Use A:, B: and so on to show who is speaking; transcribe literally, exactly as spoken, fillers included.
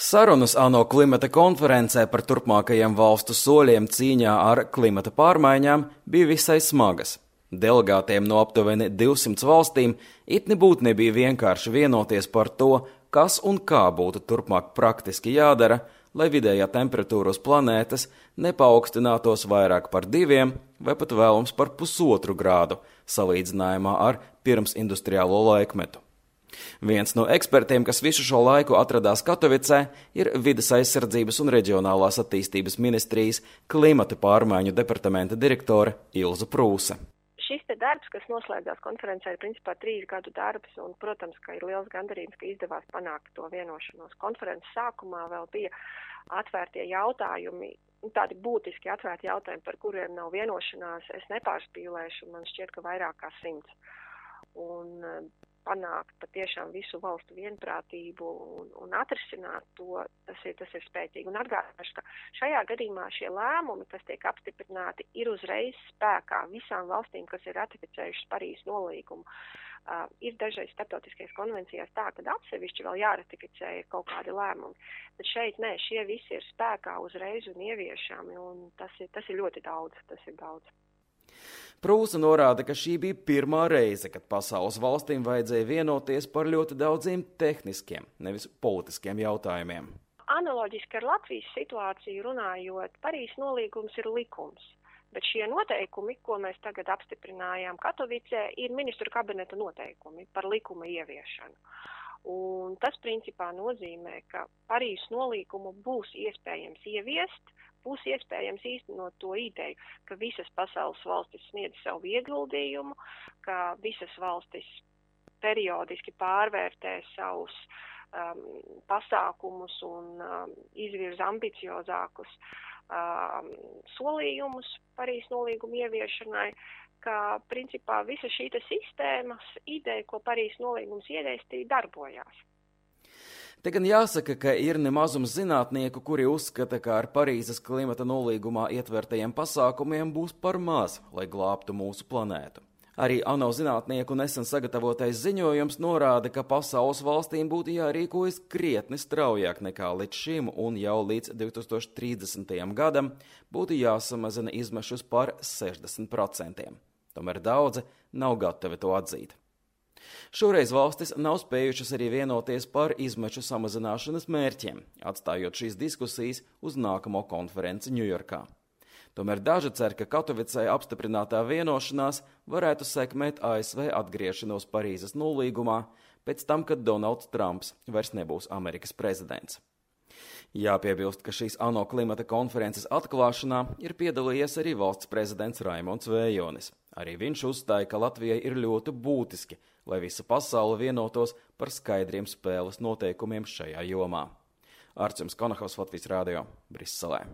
A: Sarunas ANO klimata konferencē par turpmākajiem valstu soļiem cīņā ar klimata pārmaiņām bija visai smagas. Delegātiem no aptuveni divsimt valstīm it nebūtu nebija vienkārši vienoties par to, kas un kā būtu turpmāk praktiski jādara, lai vidējā temperatūra uz planētas nepaukstinātos vairāk par diviem vai pat vēlams par pusotru grādu salīdzinājumā ar pirmsindustriālo laikmetu. Viens no ekspertiem, kas visu šo laiku atradās Katovicē, ir Vides aizsardzības un reģionālās attīstības ministrijas klimata pārmaiņu departamenta direktore Ilza Prūse.
B: Šis te darbs, kas noslēdzās konferencē, ir principā trīs gadu darbs, un, protams, ka ir liels gandarījums, ka izdevās panākt to vienošanos. Konferences sākumā vēl bija atvērtie jautājumi, tādi būtiski atvērti jautājumi, par kuriem nav vienošanās. Es nepārspīlēšu, man šķiet, ka vairāk kā simts. Un panākt patiešām visu valstu vienprātību un, un atrisināt to, tas ir, tas ir spēcīgi. Un atgādināšu, ka šajā gadījumā šie lēmumi, kas tiek apstiprināti, ir uzreiz spēkā visām valstīm, kas ir ratificējušas Parīzes nolīgumu. Uh, ir dažreiz starptautiskajās konvencijās tā, ka atsevišķi vēl jāratificē kaut kādi lēmumi. Bet šeit nē, šie visi ir spēkā uzreiz un ieviešami, un tas ir, tas ir ļoti daudz, tas ir daudz.
A: Prūse norāda, ka šī bija pirmā reize, kad pasaules valstīm vajadzēja vienoties par ļoti daudziem tehniskiem, nevis politiskiem jautājumiem.
B: Analoģiski ar Latvijas situāciju runājot, Parīzes nolīgums ir likums, bet šie noteikumi, ko mēs tagad apstiprinājām Katovicē, ir ministru kabineta noteikumi par likuma ieviešanu. Un tas principā nozīmē, ka Parīzes nolīgumu būs iespējams ieviest, būs iespējams īstenot to ideju, ka visas pasaules valstis sniedz savu ieguldījumu, ka visas valstis periodiski pārvērtē savus um, pasākumus un um, izvirza ambiciozākus um, solījumus Parīzes nolīgumu ieviešanai, ka principā visa šī sistēmas ideja, ko Parīzes nolīgums iedēstīja, darbojās.
A: Te gan jāsaka, ka ir nemazums zinātnieku, kuri uzskata, ka ar Parīzes klimata nolīgumā ietvertajiem pasākumiem būs par maz, lai glābtu mūsu planētu. Arī ANO zinātnieku nesen sagatavotais ziņojums norāda, ka pasaules valstīm būtu jārīkojas krietni straujāk nekā līdz šim, un jau līdz divi tūkstoši trīsdesmitajam gadam būtu jāsamazina izmešus par sešdesmit procentiem. Tomēr daudzi nav gatavi to atzīt. Šoreiz valstis nav spējušas arī vienoties par izmeču samazināšanas mērķiem, atstājot šīs diskusijas uz nākamo konferenci Ņujorkā. Tomēr daži cer, ka Katovicē apstiprinātā vienošanās varētu sekmēt A S V atgriešanos Parīzes nolīgumā pēc tam, kad Donalds Trumps vairs nebūs Amerikas prezidents. Jāpiebilst, ka šīs ANO klimata konferences atklāšanā ir piedalījies arī valsts prezidents Raimonds Vējonis. Arī viņš uzstāja, ka Latvijai ir ļoti būtiski, lai visa pasaule vienotos par skaidriem spēles noteikumiem šajā jomā. Arčuns Konahaus, Latvijas Rādio, Briselē.